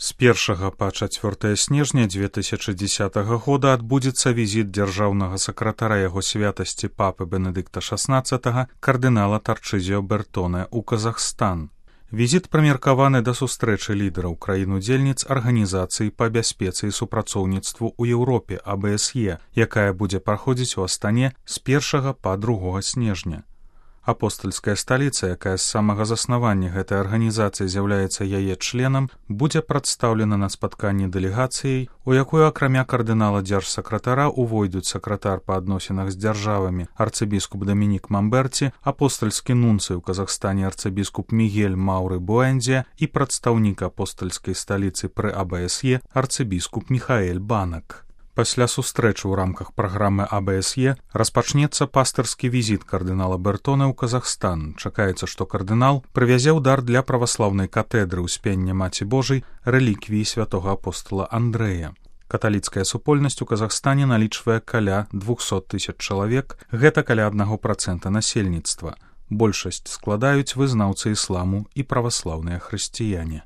З 1 па 4 снежня 2010 года адбудзецца візіт дзяржаўнага сакратара яго святасці папы Бенедыкта XVI кардынала Тарчызіо Бертоне ў Казахстан. Візіт прымеркаваны да сустрэчы лідараў краін-удзельніц арганізацыі па бяспецы і супрацоўніцтву ў Еўропе АБСЕ, якая будзе праходзіць у Астане з 1 па 2 снежня. Апостальская сталіца, якая з самага заснавання гэтай арганізацыі з'яўляецца яе членам, будзе прадстаўлена на спатканні дэлегацыяй, у якую акрамя кардынала дзяржсакратара увойдуць сакратар па адносінах з дзяржавамі арцыбіскуп Дамінік Мамберці, апостальскі нунцый у Казахстане арцыбіскуп Мігель Мауры Буэндзе і прадстаўнік апостальскай сталіцы пры АБСЕ арцыбіскуп Міхаэль Банак. Пасля сустрэчы ў рамках праграмы АБСЕ распачнецца пастырскі візіт кардынала Бертоне ў Казахстан. Чакаецца, што кардынал прывязе ў дар для праваслаўнай катэдры ўспення Маці Божай рэліквіі святога апостола Андрэя. Каталіцкая супольнасць у Казахстане налічвае каля 200 000 чалавек, гэта каля 1% насельніцтва. Большасць складаюць вызнаўцы ісламу і праваслаўныя хрысціяне.